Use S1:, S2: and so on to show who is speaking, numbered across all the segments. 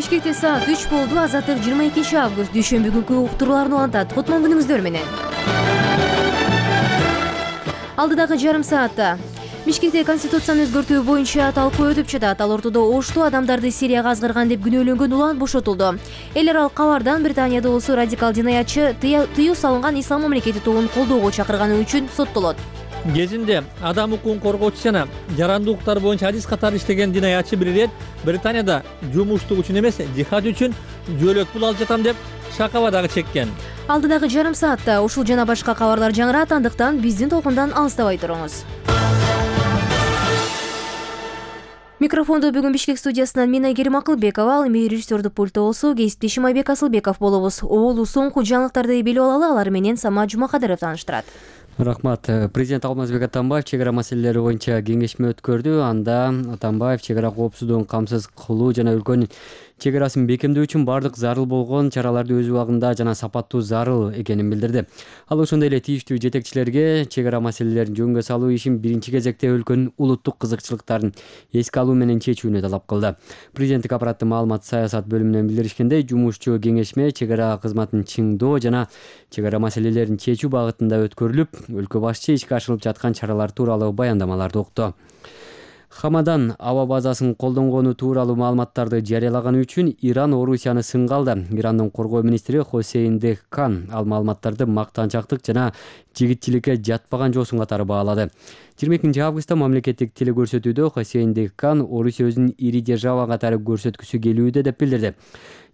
S1: Бишкекте саат 3 болду. Азаттык 22 август дүйшөмбү күнкү уктурууларын улантат. Кутман күнүңүздөр менен. Алдыдагы жарым саатта Бишкекте конституцияны өзгөртүү боюнча талкуу өтүп жатат. Ал ортодо Ошту адамдарды Сирияга азгырган деп күнөөлөнгөн улан бошотулду. Эл аралык кабардан Британияда болсо радикал жинаятчы тыюу салынган Ислам мамлекети тобун колдоого чакырганы үчүн соттолот.
S2: Кезинде адам укугун коргоочу жана жарандуу укуктар боюнча адис катары иштеген жинаятчы бир ирет Британияда жумуштук үчүн эмес, жихад үчүн жөлөк пул алып жатам деп шакаба дагы чеккен.
S1: Алдыдагы жарым саатта ушул жана башка кабарлар жаңырат, андыктан биздин толкундан алыстабай туруңуз. Микрофонду бүгүн Бишкек студиясынан мен Айгерим Акылбекова, ал эми режиссердук пультта болсо кесиптешим Айбек Асылбеков болобуз. Оолу соңку жаңылыктарды билип алалы, алар менен Сама Жумакадыров тааныштырат.
S3: Рахмат. Президент Алмазбек Атамбаев чек ара маселелери боюнча кеңешме өткөрдү. Анда Атамбаев чек ара коопсуздугун камсыз кылуу жана өлкөнүн чек арасын бекемдөө үчүн бардык зарыл болгон чараларды өз убагында жана сапаттуу зарыл экенин билдирди. Ал ошондой эле тийиштүү жетекчилерге чек ара маселелерин жөнгө салуу ишин биринчи кезекте өлкөнүн улуттук кызыкчылыктарын эске алуу менен чечүүнү талап кылды. Президенттик аппараттын маалымат саясат бөлүмүнөн билдиришкендей, жумушчу кеңешме чек ара кызматын чыңдоо жана чек ара маселелерин чечүү багытында өткөрүлүп, өлкө башчы ишке ашырылып жаткан чаралар тууралуу баяндамаларды укту. Хамадан аба базасын колдонгону тууралуу маалыматтарды жарыялаганы үчүн Иран Орусияны сынга алды. Ирандын коргоо министри Хосейн Дехкан ал маалыматтарды мактанчактык жана жигитчиликке жатпаган жосун катары баалады. 22 августта мамлекеттик телекөрсөтүүдө Хосейн Дехкан Орусия өзүнүн ири держава катары көрсөткүсү келүүдө деп билдирди.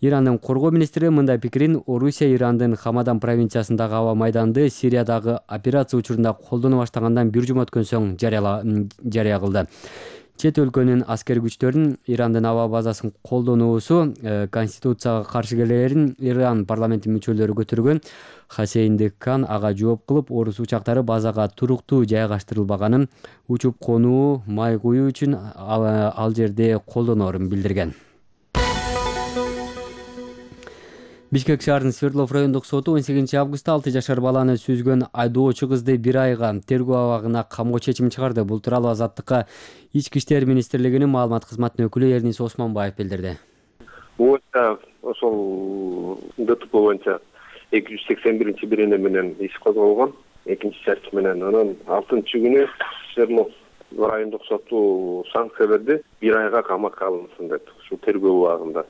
S3: Ирандын коргоо министри мындай пикирин Орусия Ирандын Хамадан провинциясындагы аба майданды Сириядагы операция учурунда колдоно баштагандан бир жума өткөн соң жарыя кылды. Чет өлкөнүн аскер күчтөрүнүн Ирандын аба базасын колдонуусу конституцияга каршы келерин Иран парламенти мүчөлөрү көтөргөн. Хосейн Дехкан ага жооп кылып, орус учактары базага туруктуу жайгаштырылбаганын, учуп конуу, май куюу үчүн ал жерде колдоноорун билдирген. Бишкек шаарынын Свердлов райондук соту 18 августта 6 жашар баланы сүзгөн айдоочу кызды 1 айга тергөө абагына камоо чечими чыгарды. Бул тууралуу Азаттыкка Ички иштер министрлигинин маалымат кызматынын өкүлү Эрнис Осмонбаев билдирди.
S4: Ошол ДТП боюнча 281-биринде менен иш козголгон, экинчи чарчы менен. Анан 6-күнү Свердлов райондук соту санкция берди, 1 айга камакка алынсын деп, ушул тергөө убагында.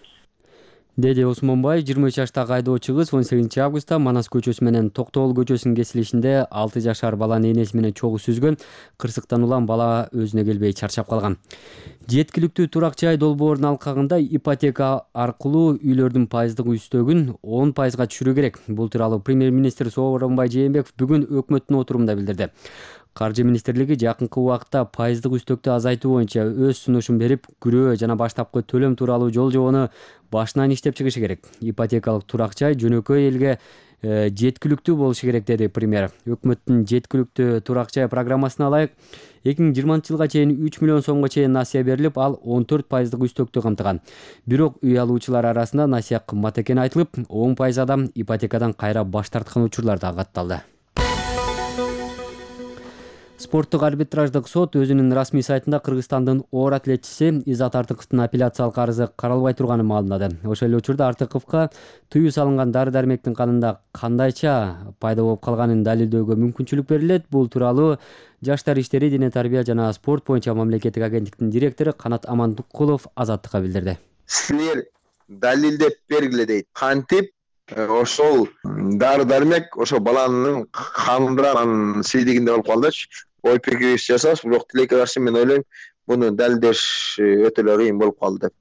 S3: Деди Осмонбаев 23 жаштагы айдоочу кыз 18 августта Манас көчөсү менен Токтогул көчөсүнүн кесилишинде 6 жашар баланы энеси менен чогуу сүзгөн. Кырсыктан улам бала өзүнө келбей чарчап калган. Жеткиликтүү турак жай долбоорунун алкагында ипотека аркылуу үйлөрдүн пайыздык үстөгүн 10% түшүрүү керек. Бул тууралуу премьер-министр Сооронбай Жээнбеков бүгүн өкмөттүн отурумунда билдирди. Каржы министрлиги жакынкы убакытта пайыздык үстөктү азайтуу боюнча өз сунушун берип, күрөө жана баштапкы төлөм тууралуу жол жобону башынан иштеп чыгышы керек. Ипотекалык турак жай жөнөкөй элге жеткиликтүү болушу керек, деди премьер. Өкмөттүн жеткиликтүү турак жай программасына ылайык 2020-жылга чейин 3 миллион сомго чейин насыя берилип, ал 14% үстөктү камтыган. Бирок үй алуучулар арасында насыя кымбат экени айтылып, 10% адам ипотекадан кайра баш тарткан учурлар да катталды. Спорттук арбитраждык сот өзүнүн расмий сайтында Кыргызстандын оор атлетчиси Изат Артыковдун апелляциялык арызы каралбай турганын маалымдады. Ошол эле учурда Артыковго тыюу салынган дары-дармектин канында кандайча пайда болуп калганын далилдөөгө мүмкүнчүлүк берилет. Бул тууралуу Жаштар иштери, дене тарбия жана спорт боюнча мамлекеттик агенттиктин директору Канат Амандыкулов Азаттыкка билдирди.
S5: Силер далилдеп бергиле дейт. Кантип ошол дары-дармек ошол баланын канында сийлигинде болуп калдычы. Ой пикирибиз жасабыз, бирок тилекке каршы мен ойлойм, буну далилдеш өтө эле кыйын болуп калды деп.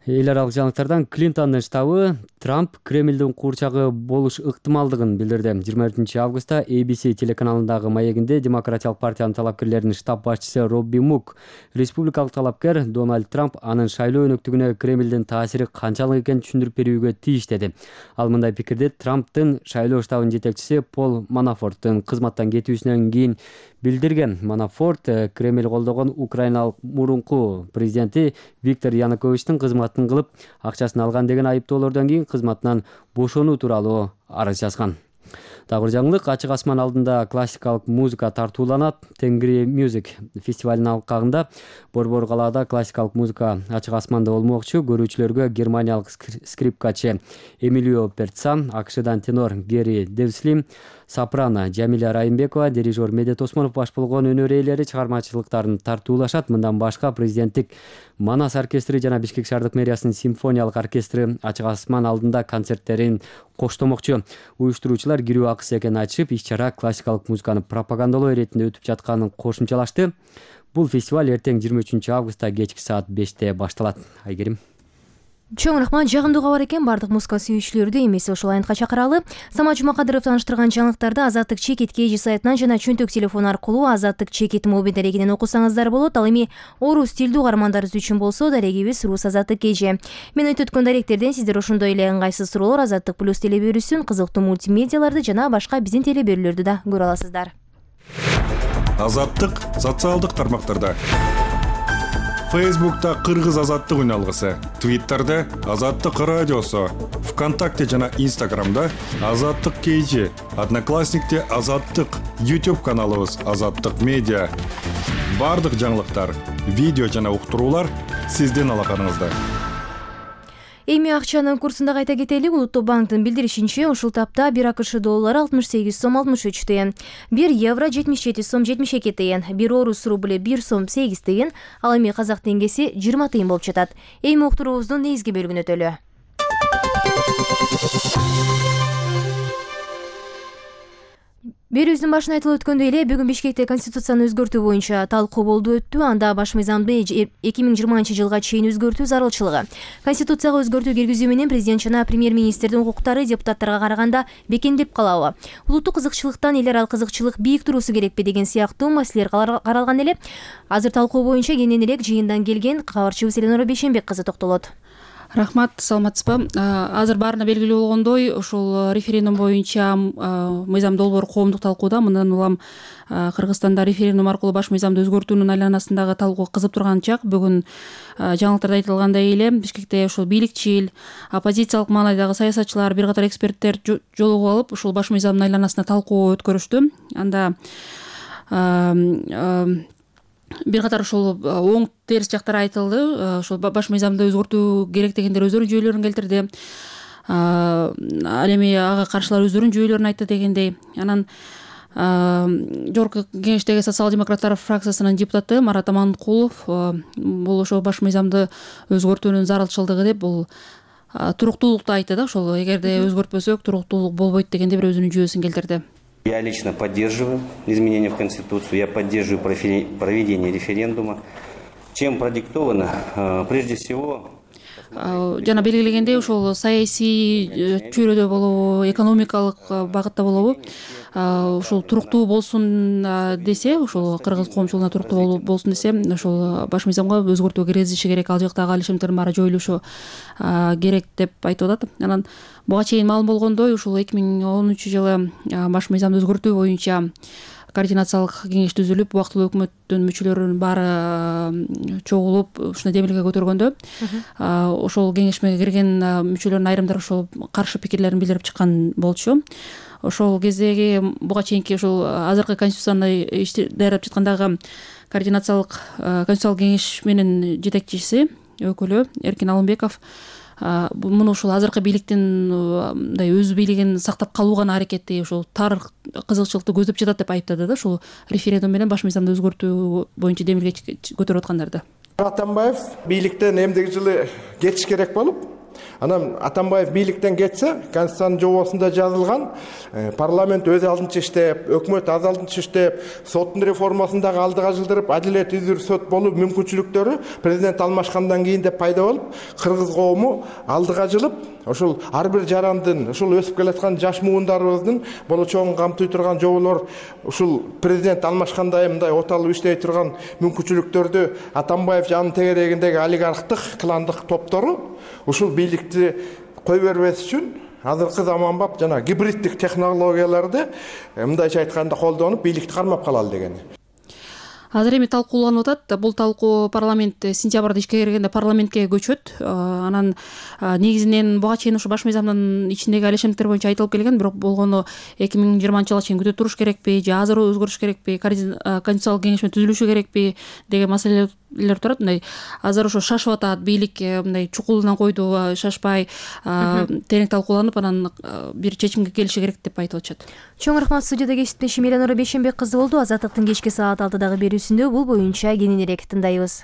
S3: Эл аралык жаңылыктардан Клинтондун штабы Трамп Кремлдин куурчагы болуш ыктымалдыгын билдирди. 24 августта ABC телеканалындагы маегинде Демократиялык партиянын талапкерлеринин штаб башчысы Робби Мук республикалык талапкер Дональд Трамп анын шайлоо өнөктүгүнө Кремлдин таасири канчалык экенин түшүндүрүп берүүгө тийиш деди. Ал мындай пикирди Трамптын шайлоо штабынын жетекчиси Пол Манафорттун кызматтан кетүүсүнөн кийин билдирген. Манафорт Кремль колдогон Украиналык мурунку президенти Виктор Януковичтин кызматын кылып, акчасын алган деген айыптоолордон кийин кызматынан бошонуу тууралуу арыз жазган. Дагы бир жаңылык, ачык асман алдында классикалык музыка тартууланат. Тенгри Music фестивалынын алкагында Борбор калаада классикалык музыка ачык асманда болмокчу. Көрүүчүлөргө германиялык скрипкачы Эмилио Перцан, АКШдан тенор Гери Девслим, сопрано Жамиля Райымбекова, дирижер Медет Осмонов баш болгон өнөр ээлери чыгармачылыктарын тартуулашат. Мындан башка президенттик Манас оркестри жана Бишкек шаардык мэриясынын симфониялык оркестри ачык асман алдында концерттерин коштомокчу. Уюштуруучулар кирүү акысы экенин айтышып, иш-чара классикалык музыканы пропагандалоо иретинде өтүп жатканын кошумчалашты. Бул фестиваль эртең 23 августта кечки саат 5-те башталат. Айгерим.
S1: Чоң рахмат. Жагымдуу кабар экен. Бардык музыка сүйүүчүлөрдү эмес ошол айнтка чакыралы. Самат Жумакадыров тааныштырган жаңылыктарды Азаттык чекит KG сайтынан жана чөнтөк телефон аркылуу Азаттык чекит мобиль дарегинен окусаңыздар болот. Ал эми орус тилдүү угармандарыбыз үчүн болсо дарегибиз Рус Азаттык KG. Мен өткөн даректерден сиздер ошондой эле ыңгайсыз суроолор, Азаттык плюс телебөрүсүн, кызыктуу мультимедиаларды жана башка биздин телебөрүлөрдү да көрө аласыздар.
S6: Азаттык социалдык тармактарда. Фейсбукта Кыргыз азаттык үналгысы, Твиттерде Азаттык радиосу, ВКонтакте жана Инстаграмда Азаттык KG, Одноклассникте Азаттык, YouTube каналыбыз Азаттык медиа. Бардык жаңылыктар, видео жана уктуруулар сиздин алаканыңызда.
S1: Эми акчанын курсунда кайта кетели. Улуттук банктын билдиришинче, ушул тапта 1 АКШ доллары 68 сом 63 тыйын, 1 евро 77 сом 72 тыйын, 1 орус рубли 1 сом 8 тыйын, ал эми казак теңгеси 20 тыйын болуп жатат. Эми уктуруубуздун негизги бөлүгүнө өтөлү. Берүүбүздүн башында айтылып өткөндөй эле, бүгүн Бишкекте конституцияны өзгөртүү боюнча талкуу болду өттү. Анда баш мыйзамды 2020 жылга чейин өзгөртүү зарылчылыгы, конституцияга өзгөртүү киргизүү менен президент жана премьер-министрдин укуктары депутаттарга караганда бекемдеп калабы, улуттук кызыкчылыктан эл аралык кызыкчылык бийик туруусу керекпи деген сыяктуу маселелер каралган эле. Азыр талкуу боюнча кенен элек жыйындан келген кабарчыбыз Эленора Бейшенбек кызы токтолот.
S7: Рахмат, саламатсызбы. Азыр баарына белгилүү болгондой, ушул референдум боюнча мыйзам долбоор коомдук талкууда. Мындан улам Кыргызстанда референдум аркылуу баш мыйзамды өзгөртүүнүн айланасындагы талкуу кызып турган чак. Бүгүн жаңылыктарда айтылгандай эле, Бишкекте ушул бийликчил, оппозициялык маанайдагы саясатчылар, бир катар эксперттер жолугуп алып, ушул баш мыйзамдын айланасында талкуу өткөрүштү. Анда бир катар ушул оң терс жактары айтылды. Ушул баш мыйзамды өзгөртүү керек дегендер өздөрүнүн жүйөлөрүн келтирди. Ал эми ага каршылар өздөрүнүн жүйөлөрүн айтты дегендей. Анан жогорку кеңештеги социал-демократтар фракциясынын депутаты Марат Аманкулов бул ошо баш мыйзамды өзгөртүүнүн зарылчылыгы деп бул туруктуулукту айтты да. Ошол эгерде өзгөртпөсөк туруктуулук болбойт дегенде бир өзүнүн жүйөсүн келтирди.
S8: Я лично поддерживаю изменения в Конституцию, я поддерживаю проведение референдума. Чем продиктовано? Прежде всего...
S7: Жана белгилегендей, ушул саясий чөйрөдө болобу, экономикалык багытта болобу, ушул туруктуу болсун десе, ушул кыргыз коомчулугуна туруктуу болсун десе, ушул баш мыйзамга өзгөртүү киргизиши керек, ал жактагы алишимдердин баары жоюлушу керек деп айтып атат. Анан буга чейин маалым болгондой, ушул 2010 жылы баш мыйзамды өзгөртүү боюнча координациялык кеңеш түзүлүп, убактылуу өкмөттүн мүчөлөрүнүн баары чогулуп, ушуна демилге көтөргөндө, ошол кеңешме кирген мүчөлөрдүн айрымдары ошол каршы пикирлерин билдирип чыккан болчу. Ошол кездеги буга чейинки ушул азыркы конституцияны даярдап жаткандагы координациялык конституциялык кеңеш менен жетекчиси, өкүлү Эркин Алымбеков муну ушул азыркы бийликтин мындай өз бийлигин сактап калуу гана аракети, ушул тар кызыкчылыкты көздөп жатат деп айыптады да, ушул референдум менен баш мыйзамды өзгөртүү боюнча демилге көтөрүп аткандарды.
S9: Атамбаев бийликтен эмдиги жылы кетиш керек болуп, анан Атамбаев бийликтен кетсе, Конституциянын жобосунда жазылган парламент өз алдынча иштеп, өкмөт аз алдынча иштеп, соттун реформасын дагы алдыга жылдырып, адилет изир сот болуу мүмкүнчүлүктөрү президент алмашкандан кийин деп пайда болуп, кыргыз коому алдыга жылып, ошол ар бир жарандын, ушул өсүп келаткан жаш муундарыбыздын болочогун камтый турган жоболор, ушул президент алмашкандай мындай оталып иштей турган мүмкүнчүлүктөрдү Атамбаев жанын тегерегиндеги олигархтык, кландык топтору ушул бийликти кой бербес үчүн азыркы заманбап жана гибриддик технологияларды мындайча айтканда колдонуп бийликти кармап калалы деген.
S7: Азыр эми талкууланып атат. Бул талкуу парламент сентябрда ишке киргенде парламентке көчөт. Анан негизинен буга чейин ушу баш мыйзамдын ичиндеги алешенттер боюнча айтылып келген, бирок болгону 2020-жылга чейин күтө туруш керекпи же азыр өзгөрүш керекпи, конституциялык кеңешме түзүлүшү керекпи деген маселелер турат. Мындай азыр ошо шашып атат, бийлик мындай чукулунан койду, шашпай терең талкууланып анан бир чечимге келиши керек деп айтып атышат.
S1: Чоң рахмат. Студияда кесиптешим Эленора Бейшенбек кызы болду. Азаттыктын кечки саат 6-дагы берүүсүндө бул боюнча кененирээк тындайбыз.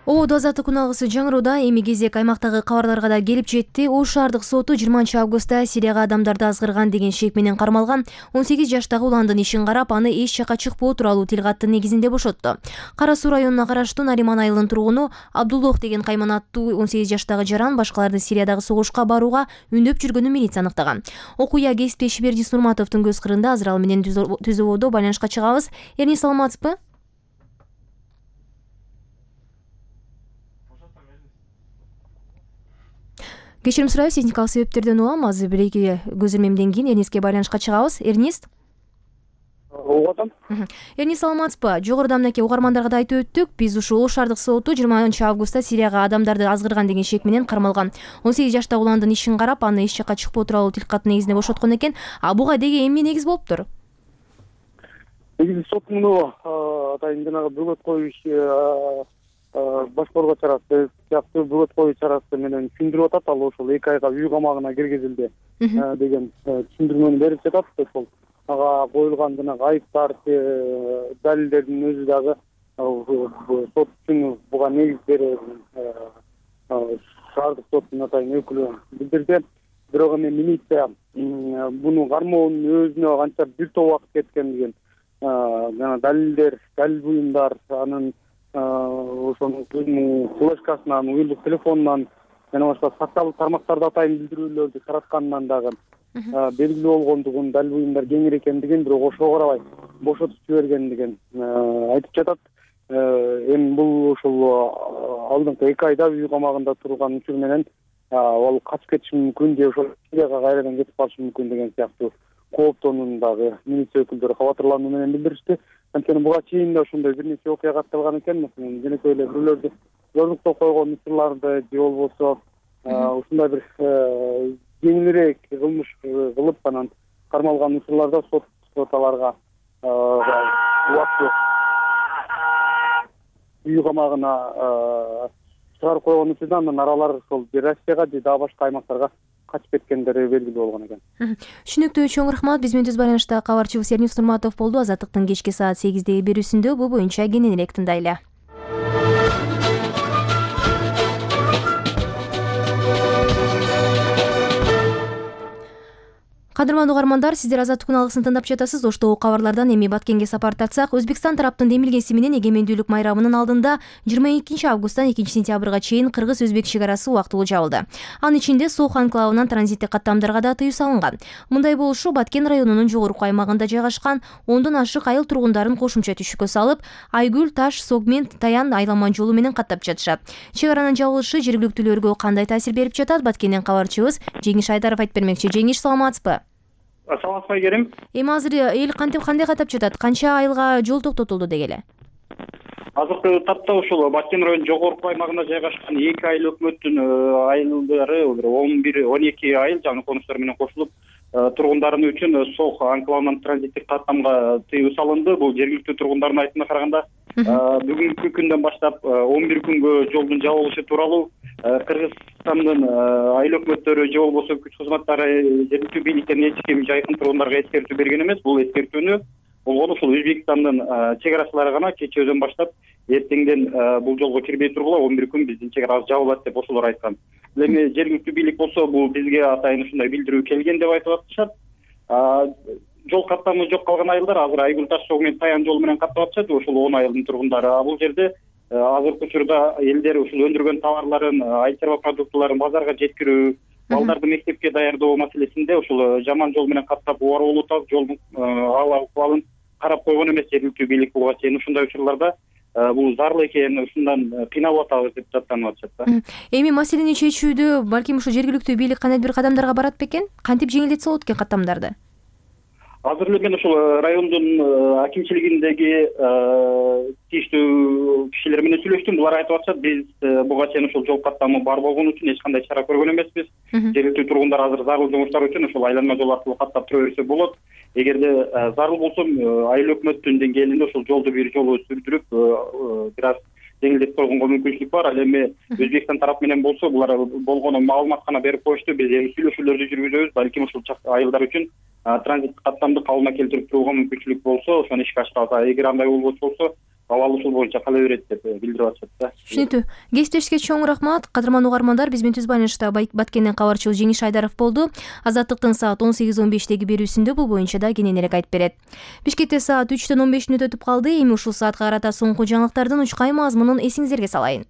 S1: Ободо азаттык күн алгысы жаңырууда. Эми кезек аймактагы кабарларга да келип жетти. Ош шаардык соту 20-августта Сирияга адамдарды азгырган деген шек менен кармалган 18 жаштагы уландын ишин карап, аны эч жакка чыкпоо тууралуу тил каттын негизинде бошотту. Кара Суу районуна караштуу Нариман айылынын тургуну Абдуллох деген кайман аттуу 18 жаштагы жаран башкаларды Сириядагы согушка барууга үндөп жүргөнүн милиция аныктаган. Окуя кесиптеши Бердис Нурматовдун көз кырында. Азыр ал менен түз ободо байланышка чыгабыз. Эрни, саламатсызбы? Кечирим сурайбыз, техникалык себептерден улам. Азыр бир-эки көз ирмемден кийин Эрниске байланышка чыгабыз. Эрнис?
S10: Угатам.
S1: Эрнис, саламатсызбы? Жогоруда мынакей угармандарга да айтып өттүк. Биз ушул Ош шаардык соту 20-августта Сирияга адамдарды азгырган деген шек менен кармалган 18 жаштагы уландын ишин карап, аны эч жакка чыкпоо тууралуу тил каттын негизинде бошоткон экен. Буга деги эмне негиз болуптур?
S10: Негизи сот муну атайын жанагы бөгөт коюу иши башкарууга чарасы сыяктуу бөгөт коюу чарасы менен түшүндүрүп атат. Ал ошол 2 айга үй камагына киргизилди деген түшүндүрмөнү берип жатат. Ошол ага коюлган жанагы айыптар, далилдердин өзү дагы сот үчүн буга негиз берип шаардык соттун атайын өкүлү билдирди. Бирок эми милиция буну кармоонун өзүнө канча бир топ убакыт кеткендигин, жана далилдер, далил буюмдар, анын ошонун өзүнүн флешкасынан, мобилдик телефонунан жана башка социалдык тармактарда атайын билдирүүлөрдү таратканынан дагы белгилүү болгондугун, далил буюмдар кеңир экендигин, бирок ошого карабай бошотуп жибергендигин айтып жатат. Эми бул ушул алдыңкы 2 айда үй камагында турган учур менен ал качып кетиши мүмкүн же ошол Сирияга кайрадан кетип калышы мүмкүн деген сыяктуу кооптонууну дагы милиция өкүлдөрү кабатырлануу менен билдиришти. Анткени буга чейин да ошондой бир нече окуя катталган экен. Маселен, жөнөкөй эле бирөөлөрдү зордуктоп койгон учурларды же болбосо ушундай бир жеңилирээк кылмыш кылып анан кармалган учурларда сот аларга убакыт үй камагына чыгарып койгон учурда анан аралар ошол Россияга же дагы башка аймактарга качып кеткендери белгилүү болгон экен.
S1: Түшүнүктүү, чоң рахмат. Биз менен түз байланышта кабарчыбыз Эрнис Нурматов болду. Азаттыктын кечки саат 8-деги берүүсүндө бул боюнча кененирээк тындайлы. Кадырман угармандар, сиздер азаттык күн алгысын тыңдап жатасыз. Оштогу кабарлардан эми Баткенге сапар тартсак, Өзбекстан тараптын демилгеси менен эгемендүүлүк майрамынын алдында 22 августтан 2 сентябрга чейин кыргыз-өзбек чек арасы убактылуу жабылды. Анын ичинде Сох анклавынан транзиттик каттамдарга да тыюу салынган. Мындай болушу Баткен районунун жогорку аймагында жайгашкан 10дон ашык айыл тургундарын кошумча түшүккө салып, Айгүл, Таш, Согмент, Таян айлама жолу менен каттап жатышат. Чек аранын жабылышы жергиликтүүлөргө кандай таасир берип жатат? Баткенден кабарчыбыз Жеңиш Айдаров айтып бермекчи. Жеңиш, саламатсызбы?
S10: Саламатсызбы, Айгерим?
S1: Эми азыр эл кандай каттап жатат? Канча айылга жол токтотулду деги эле?
S10: Азыркы тапта ушул Баткен районунун жогорку аймагында жайгашкан 2 айыл өкмөттүн айылдары 11-12 айыл жаңы конуштар менен кошулуп, тургундарын үчүн Сох анклавынан транзиттик каттамга тыюу салынды. Бул жергиликтүү тургундардын айтымына караганда бүгүнкү күндөн баштап 11 күнгө жолдун жабылышы тууралуу Кыргызстандын айыл өкмөттөрү же болбосо күч кызматтары жергиликтүү бийликтен эч ким жайкын тургундарга эскертүү берген эмес. Бул эскертүүнү болгону ушул Өзбекстандын чек арачылары гана кечөөдөн баштап эртеңден бул жолго кирбей тургула 11 күн биздин чек арабыз жабылат деп ошолор айткан. Эми жергиликтүү бийлик болсо бул бизге атайын ушундай билдирүү келген деп айтып атышат. Жол каттамы жок калган айылдар азыр Айгүл, Таш, Согмент, Таян жолу менен каттап атышат. Ошол 10 айылдын тургундары бул жерде азыркы учурда элдер ушул өндүргөн товарларын, айыл чарба продуктыларын базарга жеткирүү, балдарды мектепке даярдоо маселесинде ушул жаман жол менен каттап убарылуу жолдун ахвалын карап койгон эмес жергиликтүү бийлик буга чейин ушундай учурларда бул зарыл экен, ушундан кыйналып атабыз деп даттанып атышат да.
S1: Эми маселени чечүүдө балким ушу жергиликтүү бийлик кандай бир кадамдарга барат бекен? Кантип жеңилдетсе болот экен каттамдарды?
S10: Азыр эле мен ошол райондун акимчилигиндеги тийиштүү кишилер менен сүйлөштүм. Булар айтып атышат, биз буга чейин ошол жол каттамы бар болгон үчүн эч кандай чара көргөн эмеспиз. Жергиликтүү тургундар азыр зарыл жумуштар үчүн ошол айланма жол аркылуу каттап тура берсе болот. Эгерде зарыл болсо айыл өкмөттүн деңгээлинде ошол жолду бир жолу сүрдүрүп бир аз жеңилдетип койгонго мүмкүнчүлүк бар. Ал эми Өзбекстан тарап менен болсо булар болгону маалымат гана берип коюшту. Биз эми сүйлөшүүлөрдү жүргүзөбүз. Балким ушул айылдар үчүн транзит каттамды калыбына келтирип турууга мүмкүнчүлүк болсо, ошону ишке ашырабыз. Эгер андай болбос болсо, абал ушул боюнча кала берет деп билдирип атышат да.
S1: Түшүнүктүү. Кесиптешке чоң рахмат. Кадырман угармандар, биз менен түз байланышта Баткенден кабарчыбыз Жеңиш Айдаров болду. Азаттыктын саат 18:15 берүүсүндө бул боюнча да кененирээк айтып берет. Бишкекте саат 3:15 өтүп калды. Эми ушул саатка карата соңку жаңылыктардын учкай мазмунун эсиңиздерге салайын.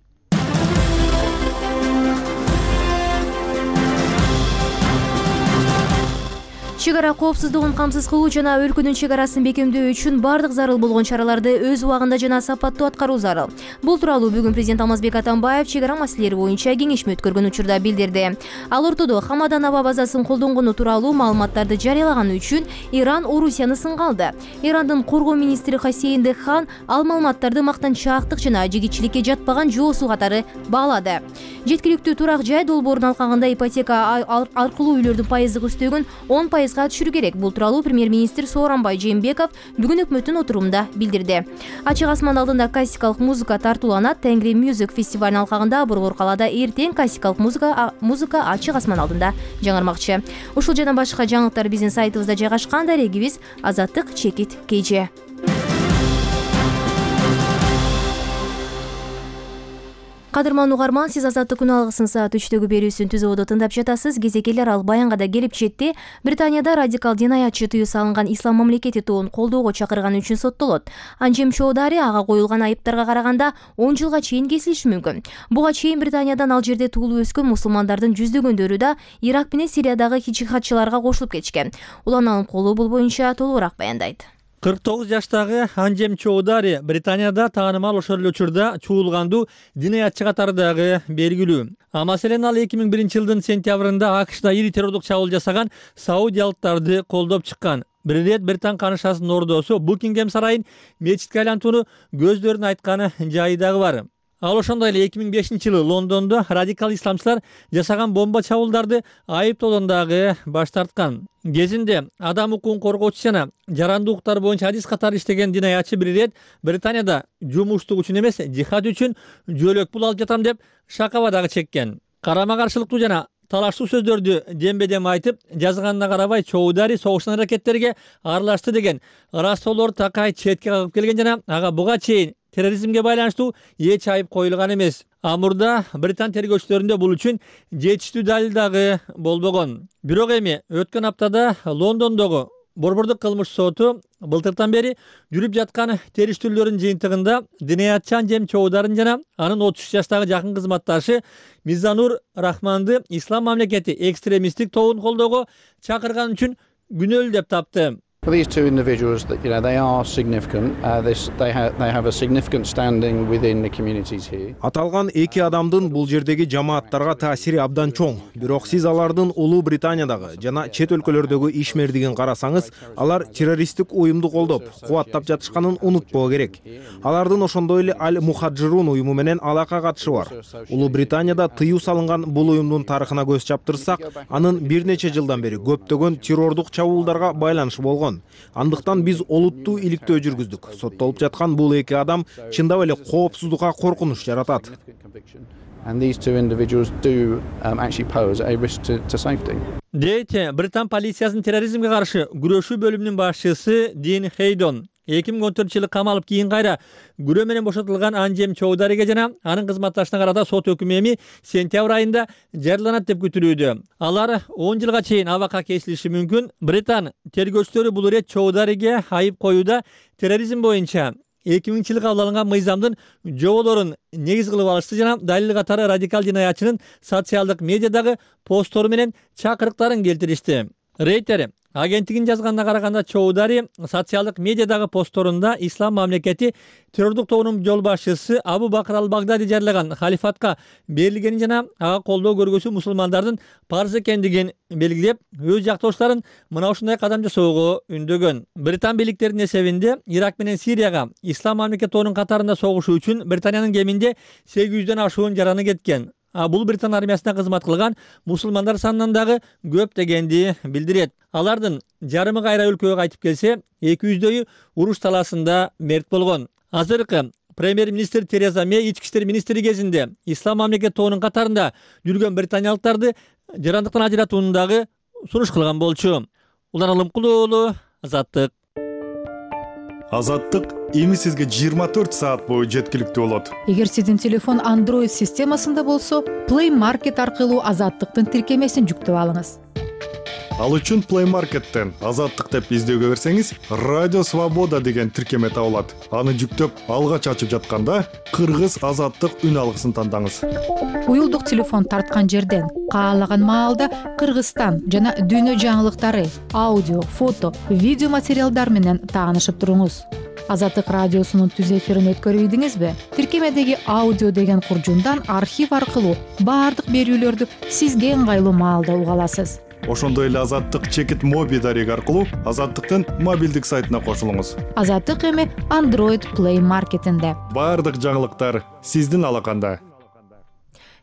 S1: Чек ара коопсуздугун камсыз кылуу жана өлкөнүн чек арасын бекемдөө үчүн бардык зарыл болгон чараларды өз убагында жана сапаттуу аткаруу зарыл. Бул тууралуу бүгүн президент Алмазбек Атамбаев чек ара маселелери боюнча кеңешме өткөргөн учурда билдирди. Ал ортодо Хамадан аба базасын колдонгону тууралуу маалыматтарды жарыялаганы үчүн Иран Орусияны сынга алды. Ирандын коргоо министри Хасейн Деххан ал маалыматтарды мактанчаактык жана жигитчиликке жатпаган жоосуу катары баалады. Жеткиликтүү турак жай долбоорун алкагында ипотека аркылуу үйлөрдүн пайыздык үстөгүн 10% түшүрүү керек. Бул тууралуу премьер-министр Сооронбай Жээнбеков бүгүн өкмөттүн отурумунда билдирди. Ачык асман алдында классикалык музыка тартууланат. Тенгри Music фестивалынын алкагында Борбор калаада эртең классикалык музыка ачык асман алдында жаңырмакчы. Ушул жана башка жаңылыктар биздин сайтыбызда жайгашкан. Дарегибиз Азаттык чекит KG. Кадырман угарман, сиз Азаттык күн алгысын саат 3-төгү берүүсүн түзүүдө тыңдап жатасыз. Кезекелер ал Баянга да келип жетти. Британияда радикал динаятчы тыюу салынган Ислам мамлекети тоон колдоого чакырганы үчүн соттолот. Анжем Чоудари ага коюлган айыптарга караганда 10 жылга чейин кесилиши мүмкүн. Буга чейин Британиядан ал жерде туулуп өскөн мусулмандардын жүздөгөндөрү да Ирак менен Сириядагы жихадчыларга кошулуп кетишкен. Улан Алымкулуу бул боюнча толугураак баяндайт.
S2: 49 жаштагы Анжем Чоудари Британияда таанымал ошол эле учурда чуулгандуу динаятчы катарындагы белгилүү. Маселен ал 2001 жылдын сентябрында АКШда ири террордук чабуул жасаган саудиялыктарды колдоп чыккан. Бир ирет Британ канышасынын ордосу Букингем сарайын мечитке айлантууну көздөрүн айтканы жайы дагы бар. Ал ошондой эле 2005 жылы Лондондо радикал исламчылар жасаган бомба чабуулдарды айыптоодон дагы баш тарткан. Кезинде адам укугун коргоочу жана жарандуу укуктар боюнча адис катары иштеген динаятчы бир ирет Британияда жумуштук үчүн эмес, жихад үчүн жөлөк пул алып жатам деп шакаба дагы чеккен. Карама каршылыктуу жана талаштуу сөздөрдү дембедем айтып, жазганына карабай Чоудари согуштан аракеттерге аралашты деген ырастоолор такай четке кагып келген жана ага буга чейин терроризмге байланыштуу эч айып коюлган эмес. Мурда Британ тергөөчүлөрүндө бул үчүн жетиштүү далил дагы болбогон. Бирок эми өткөн аптада Лондондогу Борбордук кылмыш соту былтыртан бери жүрүп жаткан териштирүүлөрдүн жыйынтыгында динаятчы Анжем Чоударин жана анын 33 жаштагы жакын кызматташы Мизанур Рахманды Ислам мамлекети экстремисттик тобун колдоого чакырган үчүн күнөөлүү деп тапты.
S11: For these two individuals, they are significant. They have a significant standing within the communities here.
S12: Аталган эки адамдын бул жердеги жамааттарга таасири абдан чоң. Бирок сиз алардын Улуу Британиядагы жана чет өлкөлөрдөгү ишмердигин карасаңыз, алар террористтик уюмду колдоп, кубаттап жатышканын унутпоо керек. Алардын ошондой эле Аль-Мухаджирун уюму менен алака катышы бар. Улуу Британияда тыюу салынган бул уюмдун тарыхына көз чаптырсак, анын бир нече жылдан бери көптөгөн террордук чабуулдарга байланышы болгон. Андыктан биз олуттуу иликтөө жүргүздүк. Соттолуп жаткан бул эки адам чындап эле коопсуздукка коркунуч жаратат.
S11: And these two individuals do actually pose a risk to safety.
S2: Дейт Британ полициясынын терроризмге каршы күрөшүү бөлүмүнүн башчысы Дин Хейдон. 2014 жылы камалып кийин кайра күрөө менен бошотулган Анжем Чоудариге жана анын кызматташына карата сот өкүмү эми сентябрь айында жарыяланат деп күтүлүүдө. Алар 10 жылга чейин абакка кесилиши мүмкүн. Британ тергөөчүлөрү бул ирет Чоудариге айып коюуда терроризм боюнча 2000 жылы кабыл алынган мыйзамдын жоболорун негиз кылып алышты жана далил катары радикал динаятчынын социалдык медиадагы посттору менен чакырыктарын келтиришти. Рейтер агенттигинин жазганына караганда Чоудари социалдык медиадагы постторунда ислам мамлекети террордук тобунун жол башчысы Абу Бакр ал-Багдади жарыяган халифатка берилгенин жана ага колдоо көргөзүү мусулмандардын парыз экендигин белгилеп, өз жактошторун мына ушундай кадам жасоого үндөгөн. Британ бийликтеринин эсебинде Ирак менен Сирияга ислам мамлекети тобунун катарында согушуу үчүн Британиянын кеминде 800дөн ашуун жараны кеткен. Бул Британ армиясында кызмат кылган мусулмандар санынан дагы көп дегенди билдирет. Алардын жарымы кайра өлкөгө кайтып келсе, 200дөйү уруш талаасында мерт болгон. Азыркы премьер-министр Тереза Мэй ички иштер министри кезинде ислам мамлекети тобунун катарында жүргөн британиялыктарды жарандыктан ажыратууну дагы сунуш кылган болчу. Улан Алымкулуу уулу, Азаттык.
S6: Азаттык эми сизге 24 саат бою жеткиликтүү болот.
S13: Эгер сиздин телефон Android системасында болсо, Play Market аркылуу Азаттыктын тиркемесин жүктөп алыңыз.
S6: Ал үчүн Play Market'тен Азаттык деп издөөгө берсеңиз, Радио Свобода деген тиркеме табылат. Аны жүктөп, алгач ачып жатканда Кыргыз Азаттык үн алгысын тандаңыз.
S13: Уюлдук телефон тарткан жерден каалаган маалда Кыргызстан жана дүйнө жаңылыктары, аудио, фото, видео материалдар менен таанышып туруңуз. Азаттык радиосунун түз эфирин өткөрүп ийдиңизби? Тиркемедеги аудио деген куржундан архив аркылуу баардык берүүлөрдү сизге ыңгайлуу маалда уга аласыз.
S6: Ошондой эле Азаттык чекит моби дареги аркылуу Азаттыктын мобилдик сайтына кошулуңуз.
S13: Азаттык эми Android Play Market'инде.
S6: Баардык жаңылыктар сиздин алаканда.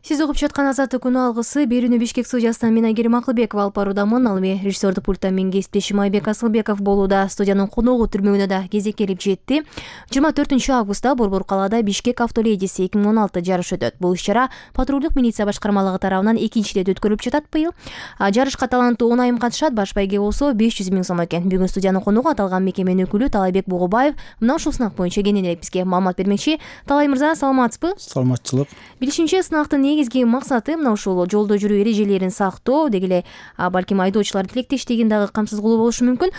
S1: Сиз угуп жаткан Азаттык күнү алгысы берүүнү Бишкек студиясынан мен Айгерим Акылбекова алып баруудамын. Ал эми режиссердик пульттан мен кесиптешим Айбек Асылбеков болууда. Студиянын коногу түрмөгүнө да кезек келип жетти. 24-августта Борбор калаада Бишкек автоледиси 2016 жарыш өтөт. Бул иш-чара патрулдук милиция башкармалыгы тарабынан 2-рет өткөрүлүп жатат быйыл. Жарышка таланттуу 10 айым катышат, баш байге болсо 500 000 сом экен. Бүгүн студиянын коногу аталган мекеменин өкүлү Талайбек Бугубаев мына ушул сынак боюнча кененирээк бизге маалымат бермекчи. Талай мырза, саламатсызбы?
S14: Саламатчылык.
S1: Билишимче, сынактын негизги максаты мына ушул жолдо жүрүү эрежелерин сактоо, деги эле балким айдоочулар тилектештигин дагы камсыз кылуу болушу мүмкүн.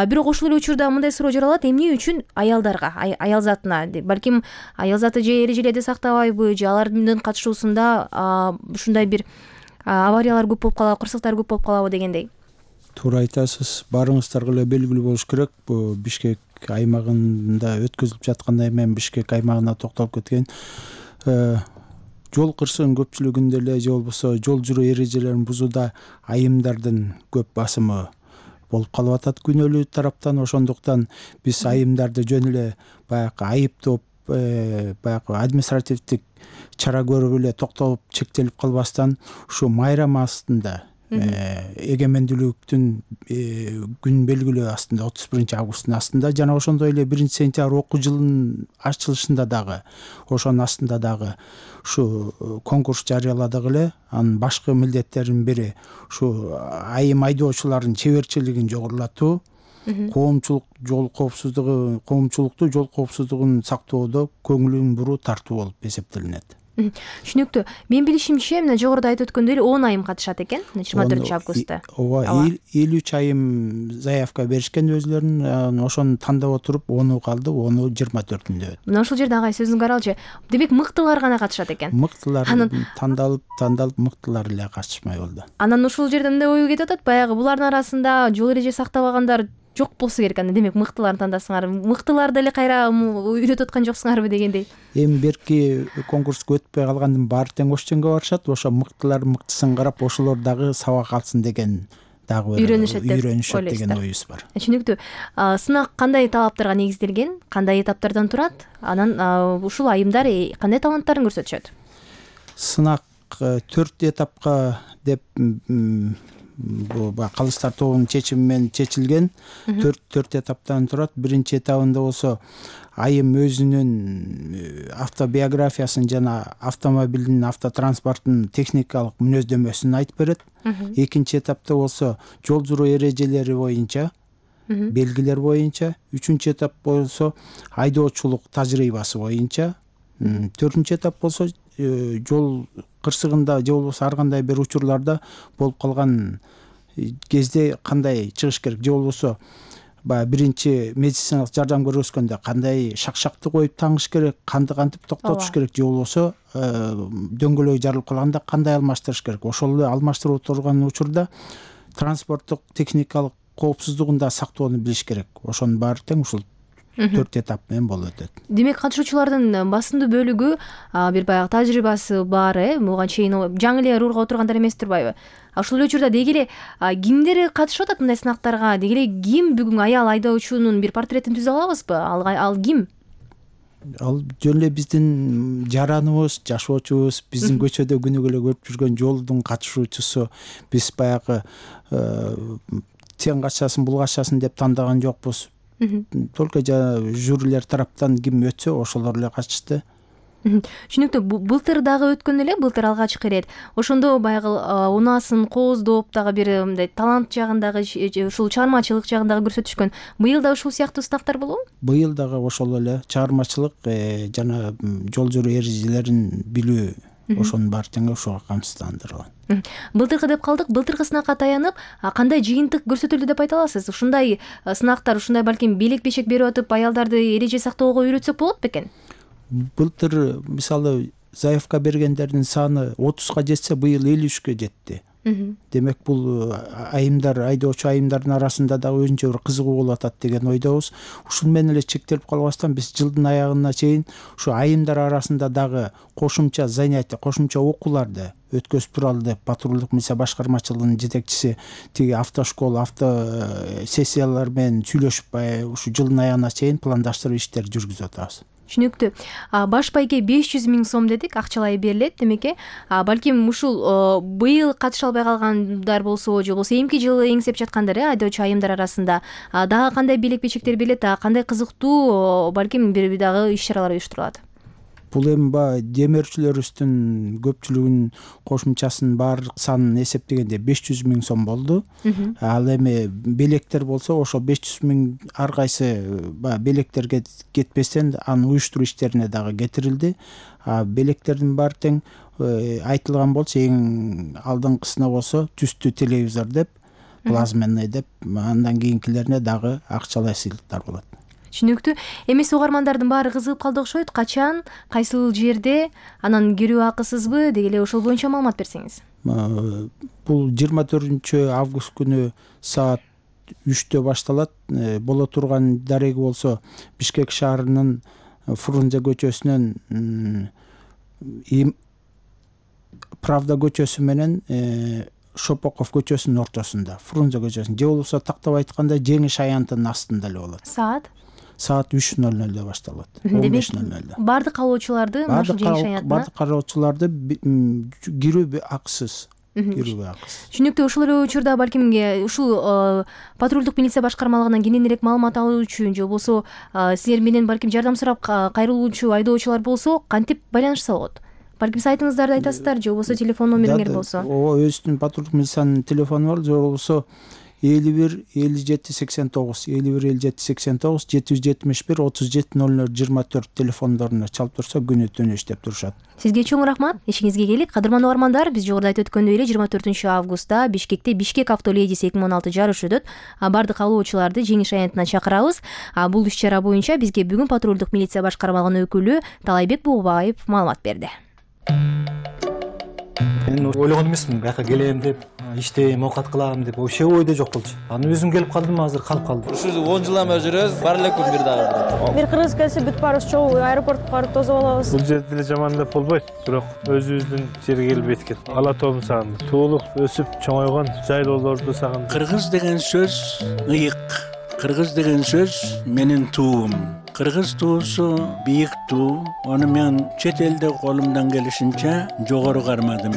S1: Бирок ошол эле учурда мындай суроо жаралат: эмне үчүн аялдарга, аял затына, балким аял заты же эрежелерди сактабайбы, же алардын катышуусунда ушундай бир авариялар көп болуп калабы, кырсыктар көп болуп калабы дегендей?
S14: Туура айтасыз. Барыңыздарга эле белгилүү болуш керек. Бул Бишкек аймагында өткөзүлүп жаткандай мен Бишкек аймагына токтолуп кеткен. Жол кырсыгынын көпчүлүгүндө эле же болбосо жол жүрүү эрежелерин бузууда айымдардын көп басымы болуп калып атат күнөөлүү тараптан. Ошондуктан биз айымдарды жөн эле баягы айыптоп, баягы административдик чара көрүп эле токтолуп чектелип калбастан ушу майрам астында эгемендүүлүктүн күн белгилөө астында 31-августтун астында жана ошондой эле 1-сентябрь окуу жылынын ачылышында дагы ошонун астында дагы ушу конкурс жарыяладык эле. Анын башкы милдеттеринин бири ушу айым айдоочулардын чеберчилигин жогорулатуу, коомчулукту жол коопсуздугун сактоодо көңүлүн буруу тартуу болуп эсептелинет.
S1: Түшүнүктүү. Мен билишимче, мына жогоруда айтып өткөндөй 10 айым катышат экен 24-августта.
S14: Ооба, 53 айым заявка беришкен өзлөрүнүн, ошону тандап отуруп 10 калды, 10 24-үндө.
S1: Мына ушул жерде агай сөзүңүзгө каралчы. Демек мыктылар гана катышат экен.
S14: Мыктылар тандалып мыктылар эле катышмай болду.
S1: Анан ушул жерде мындай ой кетип атат, баягы булардын арасында жол эреже сактабагандар жок болсо керек. Демек мыктыларды тандасыңар. Мыктыларды эле кайра үйрөтүп аткан жоксуңарбы дегендей.
S14: Эми берки конкурска өтпөй калгандын баары тең Ошченге барышат. Ошо мыктылар мыктысын карап, ошолор дагы сабак алсын деген дагы үйрөнүшөт деген оюбуз бар.
S1: Түшүнүктүү. Сынак кандай талаптарга негизделген? Кандай этаптардан турат? Анан ушул айымдар кандай таланттарын көрсөтүшөт?
S14: Сынак 4 этапка деп бул калыстар тобунун чечими менен чечилген. 4 этаптан турат. Биринчи этабында болсо айым өзүнүн автобиографиясын жана автомобилдин, автотранспорттун техникалык мүнөздөмөсүн айтып берет. Экинчи этапта болсо жол жүрүү эрежелери боюнча, белгилер боюнча. Үчүнчү этап болсо айдоочулук тажрыйбасы боюнча. Төртүнчү этап болсо жол кырсыгында же болбосо ар кандай бир учурларда болуп калган кезде кандай чыгыш керек, же болбосо баягы биринчи медициналык жардам көрсөткөндө кандай шакшакты коюп таңыш керек, канды кантип токтотуш керек, же болбосо дөңгөлөк жарылып калганда кандай алмаштырыш керек. Ошол эле алмаштырып отурган учурда транспорттук техникалык коопсуздугун да сактоону билиш керек. Ошонун баары тең ушул 4 этап менен болуп өтөт.
S1: Демек катышуучулардын басымдуу бөлүгү бир баягы тажрыйбасы бар, буга чейин жаңы эле рурга отургандар эмес турбайбы? Ошол эле учурда деги эле кимдер катышып атат мындай сынактарга? Деги эле ким бүгүн аял айдоочунун бир портретин түзө алабызбы? Ал ким?
S14: Ал жөн эле биздин жараныбыз, жашоочубуз, биздин көчөдө күнүгө эле көрүп жүргөн жолдун катышуучусу. Биз баягы сен качасың, бул качасың деп тандаган жокпуз. Только жюрилер тараптан ким өтсө ошолор эле катышты.
S1: Түшүнүктүү. Былтыр дагы өткөн эле, былтыр алгачкы ирет. Ошондо баягы унаасын кооздоп дагы бир мындай талант жагындагы ушул чыгармачылык жагындагы көрсөтүшкөн. Быйыл да ушул сыяктуу сынактар болобу?
S14: Быйыл дагы ошол эле чыгармачылык жана жол жүрүү эрежелерин билүү, ошонун баары тең ошого камсыздандырылган.
S1: Былтыркы деп калдык. Былтыркы сынакка таянып, кандай жыйынтык көрсөтүлдү деп айта аласыз? Ушундай сынактар, ушундай балким белек бешек берип атып, аялдарды эреже сактоого үйрөтсөк болот бекен?
S14: Былтыр мисалы заявка бергендердин саны 30га жетсе, быйыл 53ке жетти. Демек бул айымдар, айдоочу айымдардын арасында дагы өзүнчө бир кызыгуу болуп атат деген ойдобуз. Ушун менен эле чектелип калбастан биз жылдын аягына чейин ушу айымдар арасында дагы кошумча занятия, кошумча окууларды өткөзүп туралы деп патрулдук милиция башкармачылыгынын жетекчиси тиги автошкола, сессиялар менен сүйлөшүп, ушу жылдын аягына чейин пландаштырып иштер жүргүзүп атабыз.
S1: Түшүнүктүү. Баш байге 500 000 сом дедик, акчалай берилет. Демек, балким ушул быйыл катыша албай калгандар болсо, же болбосо эмки жылы эңсеп жаткандар, айдоочу айымдар арасында дагы кандай белек бечектер берилет, кандай кызыктуу балким бир дагы иш-чаралар уюштурулат?
S14: Бул эми демөөрчүлөрүбүздүн көпчүлүгүнүн кошумчасынын баардык санын эсептегенде 500 000 сом болду. Ал эми белектер болсо, ошо 500 000 ар кайсы белектерге кетпестен анын уюштуруу иштерине дагы кетирилди. Белектердин баары тең айтылган болчу, эң алдыңкысына болсо түстүү телевизор деп, плазменный деп, андан кийинкилерине дагы акчалай сыйлыктар болот.
S1: Түшүнүктүү. Эмес угармандардын баары кызыгып калды окшойт. Качан, кайсыл жерде, анан кирүү акысызбы? Деги эле ошол боюнча маалымат берсеңиз.
S14: Бул 24 август күнү саат 3-тө башталат. Боло турган дареги болсо Бишкек шаарынын Фрунзе көчөсүнөн Правда көчөсү менен Шопоков көчөсүнүн ортосунда, Фрунзе көчөсүнүн, же болбосо тактап айтканда Жеңиш аянтынын астында эле болот. Саат 3:00 башталат. 15:00.
S1: Бардык калоочуларды Жеңиш аянтына?
S14: Бардык калоочуларды кирүү акысыз.
S1: Түшүнүктүү. Ушул эле учурда балким ушул патрулдук милиция башкармалыгынан кененирээк маалымат алуу үчүн, же болбосо силер менен балким жардам сурап кайрылуучу айдоочулар болсо, кантип байланышса болот? Балким сайтыңыздарды айтасыздар, же болбосо телефон номериңер болсо?
S14: Ооба, өзүнүн патрулдук милициянын телефону бар, же болбосо 51 57 89 51 57 89 771 37 00 24 телефондоруна чалып турса күнү түнү иштеп турушат.
S1: Сизге чоң рахмат. Ишиңизге келик. Кадырман угармандар, биз жогоруда айтып өткөндөй эле 24 августта Бишкекте Бишкек автоледис 2016 жарышы өтөт. Бардык калоочуларды Жеңиш аянтына чакырабыз. Бул иш-чара боюнча бизге бүгүн патрулдук милиция башкармалыгынын өкүлү Талайбек Буубаев маалымат берди.
S15: Мен ойлогон эмесмин, бияка келем деп, иштейм, оокат кылам деп, вообще ойдо жок болчу. Анан өзүм келип калдым, азыр калып калдым.
S16: Ушу 10 жылдан бери жүрөбүз, бар эле күн бир дагы.
S17: Бир кыргыз келсе бүт баарыбыз чогуу аэропортко барып тосуп алабыз.
S18: Бул жерде деле жаман деп болбойт, бирок өзүбүздүн жерге келип эткет. Ала тоомду сагындым. Туулуп, өсүп, чоңойгон жайлоолорду сагындым.
S19: Кыргыз деген сөз ыйык. Кыргыз деген сөз менин туум. Кыргыз туусу бийик туу. Аны мен чет элде колумдан келишинче жогору кармадым.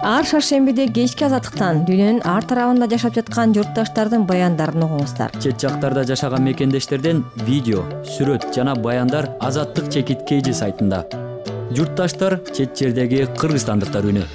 S20: Ар шаршембиде кечки азаттыктан дүйнөнүн ар тарабында жашап жаткан журтташтардын баяндарын угуңуздар.
S3: Чет жактарда жашаган мекендештерден видео, сүрөт жана баяндар Азаттык чекит сайтында. Журтташтар чет жердеги кыргызстандыктар үнү.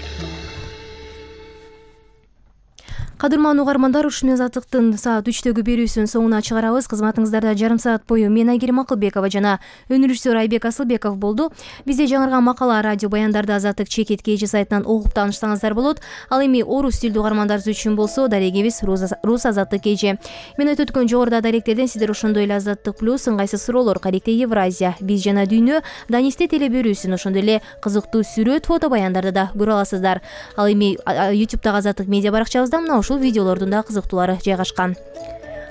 S1: Кадырман угармандар, ушуну Азаттыктын саат 3-төгү берүүсүнүн соңуна чыгарабыз. Кызматыңыздарда жарым саат бою мен Айгерим Акылбекова жана өнүрүшчү Айбек Асылбеков болду. Бизде жаңырган макала радио баяндарды Азаттык чекит сайтынан окуп таанышсаңыздар болот. Ал эми орус тилдүү угармандар үчүн болсо дарегибиз Рус Азаттык KG. Мен айтып өткөн жогоруда даректерден сиздер ошондой эле Азаттык плюс, ыңгайсыз суроолор, Каректе Евразия, Биз жана дүйнө, Данисте теле берүүсүн, ошондой эле кызыктуу сүрөт, фото баяндарды да көрө аласыздар. Ал эми YouTube'дагы Азаттык медиа баракчабызда мына ушул видеолордун да кызыктуулары жайгашкан.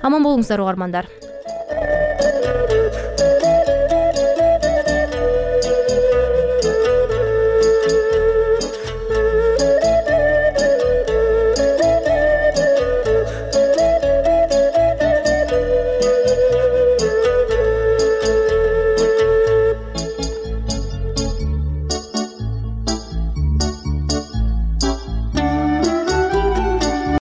S1: Аман болуңуздар угармандар.